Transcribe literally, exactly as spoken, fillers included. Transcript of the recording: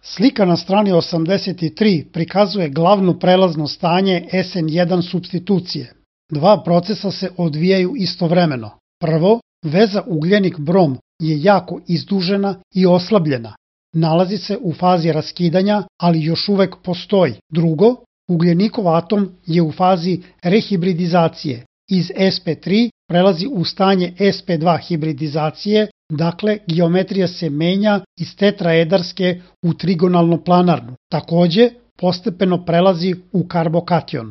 Slika na strani osamdeset tri prikazuje glavno prelazno stanje S N jedan supstitucije. Dva procesa se odvijaju istovremeno. Prvo, veza ugljenik-brom je jako izdužena i oslabljena. Nalazi se u fazi raskidanja, ali još uvek postoji. Drugo, ugljenikov atom je u fazi rehibridizacije. Iz S P tri prelazi u stanje S P dva hibridizacije, dakle geometrija se menja iz tetraedarske u trigonalno-planarnu. Takođe, postepeno prelazi u karbokation.